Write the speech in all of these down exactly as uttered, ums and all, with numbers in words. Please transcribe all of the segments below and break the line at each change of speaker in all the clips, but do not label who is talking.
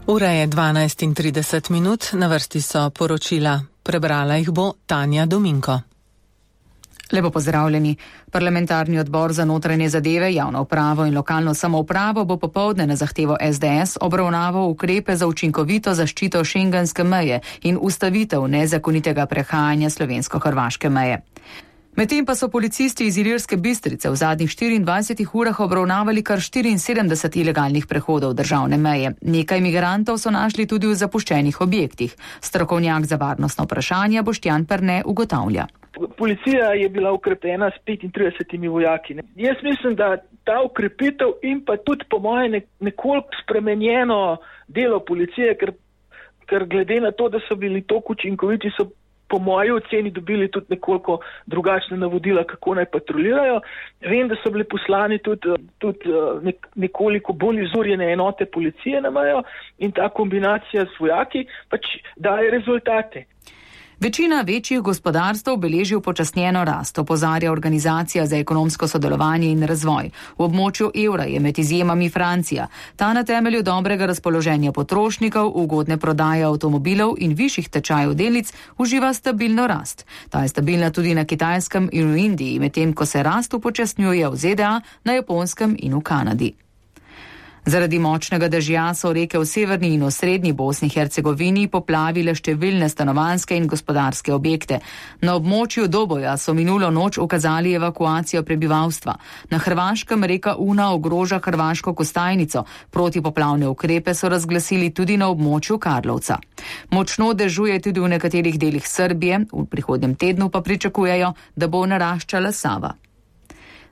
Ura je dvanajst in trideset minut, na vrsti so poročila. Prebrala jih bo Tanja Dominko.
Lepo pozdravljeni. Parlamentarni odbor za notranje zadeve, javno upravo in lokalno samoupravo bo popoldne na zahtevo es de es obravnaval ukrepe za učinkovito zaščito šengenske meje in ustavitev nezakonitega prehajanja slovensko-hrvaške meje. Medtem pa so policisti iz Ilirske Bistrice v zadnjih štiriindvajsetih urah obravnavali kar štiriinsedemdeset ilegalnih prehodov državne meje. Nekaj migrantov so našli tudi v zapuščenih objektih. Strokovnjak za varnostno vprašanje Boštjan Perne ugotavlja.
Policija je bila ukrepljena s petintridesetimi vojaki. Jaz mislim, da ta ukrepitev in pa tudi po moje nekoliko spremenjeno delo policije, ker, ker glede na to, da so bili toliko učinkoviti, so po moji oceni dobili tudi nekoliko drugačne navodila, kako naj patrolirajo. Vem, da so bili poslani tudi, tudi nekoliko bolj izurjene enote policije na mejo in ta kombinacija s vojaki pač daje rezultate.
Večina večjih gospodarstv beleži upočasnjeno rast, opozarja Organizacija za ekonomsko sodelovanje in razvoj. V območju evra je med izjemami Francija. Ta na temelju dobrega razpoloženja potrošnikov, ugodne prodaje avtomobilov in višjih tečajev delnic uživa stabilno rast. Ta je stabilna tudi na Kitajskem in v Indiji, medtem ko se rast upočasnjuje v ze de a, na Japonskem in v Kanadi. Zaradi močnega dežja so reke v severni in osrednji Bosni in Hercegovini poplavile številne stanovanjske in gospodarske objekte. Na območju Doboja so minulo noč ukazali evakuacijo prebivalstva. Na Hrvaškem reka Una ogroža hrvaško Kostajnico. Protipoplavne ukrepe so razglasili tudi na območju Karlovca. Močno dežuje tudi v nekaterih delih Srbije, v prihodnjem tednu pa pričakujejo, da bo naraščala Sava.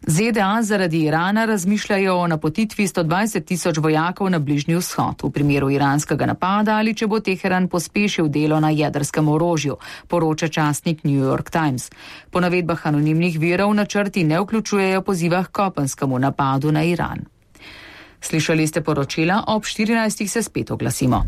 ze de a zaradi Irana razmišljajo o napotitvi sto dvajset tisoč vojakov na Bližnji vzhod v primeru iranskega napada ali če bo Teheran pospešil delo na jedrskem orožju, poroča časnik New York Times. Po navedbah anonimnih virov načrti ne vključujejo poziva k kopenskemu napadu na Iran. Slišali ste poročila, ob štirinajstih se spet oglasimo.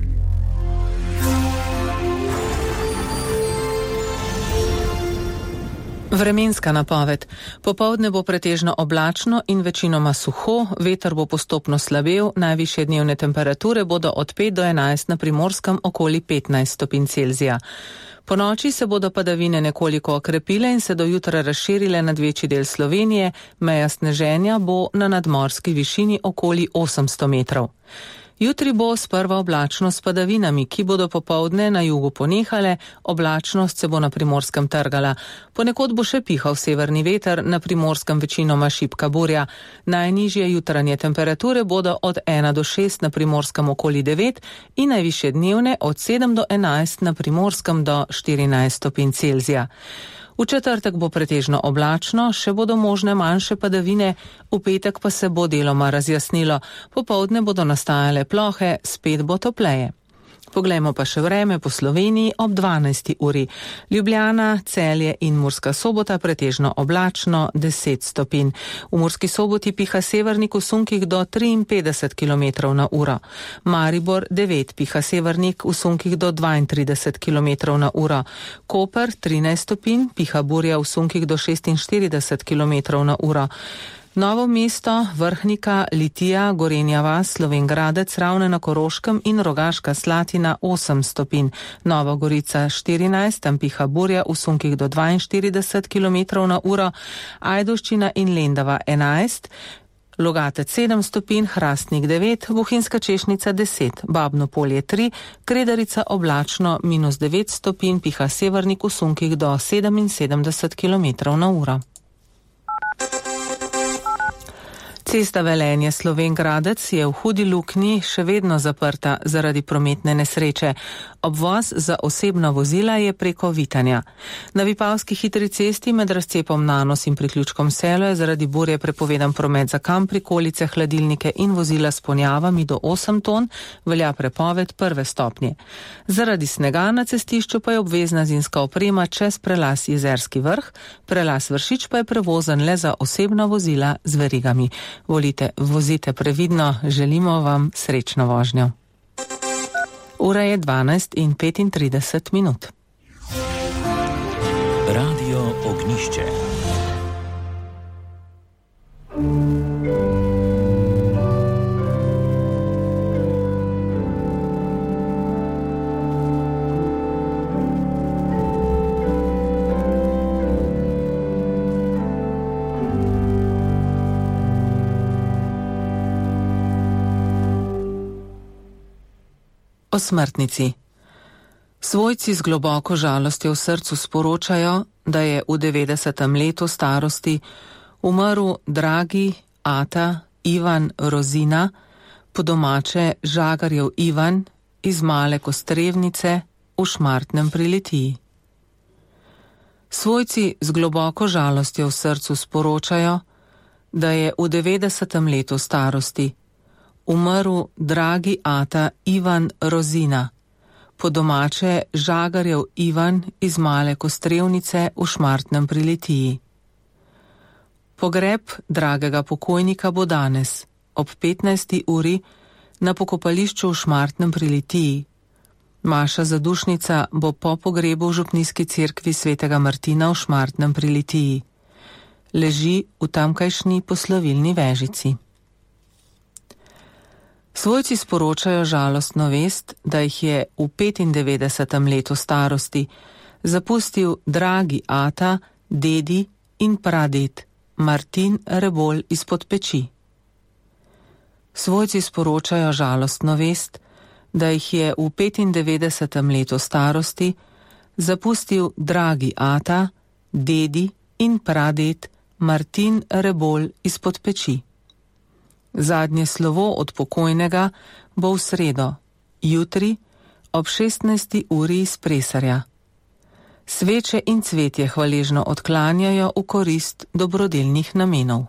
Vremenska napoved. Popoldne bo pretežno oblačno in večinoma suho, veter bo postopno slabel, najvišje dnevne temperature bodo od pet do enajst, na Primorskem okoli petnajst stopinj Celzija. Po noči se bodo padavine nekoliko okrepile in se do jutra razširile nad večji del Slovenije, meja sneženja bo na nadmorski višini okoli osemsto metrov. Jutri bo sprva oblačno s padavinami, ki bodo popoldne na jugu ponehale, oblačnost se bo na Primorskem trgala. Ponekod bo še pihal severni veter, na Primorskem večinoma šibka burja. Najnižje jutranje temperature bodo od ena do šest, na Primorskem okoli devet in najvišje dnevne od sedem do enajst, na Primorskem do štirinajst stopinj Celzija. V četrtek bo pretežno oblačno, še bodo možne manjše padavine, v petek pa se bo deloma razjasnilo. Popoldne bodo nastajale plohe, spet bo topleje. Poglejmo pa še vreme po Sloveniji ob dvanajsti uri. Ljubljana, Celje in Murska Sobota pretežno oblačno deset stopinj. V Murski Soboti piha severnik v sunkih do triinpetdeset kilometrov na uro. Maribor devet, piha severnik v sunkih do dvaintrideset kilometrov na uro. Koper trinajst stopinj, piha burja v sunkih do šestinštirideset kilometrov na uro. Novo mesto, Vrhnika, Litija, Gorenja vas, Slovenj Gradec, Ravne na Koroškem in Rogaška Slatina osem stopinj. Nova Gorica štirinajst, tam piha burja v sunkih do dvainštirideset kilometrov na uro. Ajdovščina in Lendava enajst, Logatec sedem stopinj, Hrastnik devet, Bohinjska Češnica deset, Babno Polje tri, Kredarica oblačno minus devet stopinj, piha severnik v sunkih do sedeminsedemdeset kilometrov na uro. Cesta Velenje Slovenj Gradec je v hudi luknji še vedno zaprta zaradi prometne nesreče. Obvoz za osebna vozila je preko Vitanja. Na Vipavski hitri cesti med razcepom Nanos in priključkom Selo je zaradi burje prepovedan promet za kam, prikolice, hladilnike in vozila s ponjavami do osem ton, velja prepoved prve stopnje. Zaradi snega na cestišču pa je obvezna zimska oprema čez prelaz Jezerski vrh, prelaz Vršič pa je prevozen le za osebna vozila z verigami. Volite, vozite previdno, želimo vam srečno vožnjo. Ura je dvanajst in petintrideset minut.
Radio Ognišče.
O smrtnici. Svojci z globoko žalostjo v srcu sporočajo, da je v devetdesetem letu starosti umrl dragi ata Ivan Rozina, po domače Žagarjev Ivan iz Male Kostrevnice v Šmartnem pri Litiji. Svojci z globoko žalostjo v srcu sporočajo, da je v devetdesetem letu starosti umrl dragi ata Ivan Rozina, po domače Žagarjev Ivan iz Male Kostrevnice v Šmartnem pri Litiji. Pogreb dragega pokojnika bo danes ob petnajsti uri na pokopališču v Šmartnem pri Litiji. Maša zadušnica bo po pogrebu v župnijski cerkvi svetega Martina v Šmartnem pri Litiji. Leži v tamkajšnji poslovilni vežici. Svojci sporočajo žalostno vest, da jih je v petindevetdesetem letu starosti zapustil dragi ata, dedi in praded Martin Rebolj izpod peči. Svojci sporočajo žalostno vest, da jih je v petindevetdesetem letu starosti zapustil dragi ata, dedi in praded Martin Rebolj izpod peči. Zadnje slovo od pokojnega bo v sredo, jutri ob šestnajsti uri iz Presarja. Sveče in cvetje hvaležno odklanjajo v korist dobrodelnih namenov.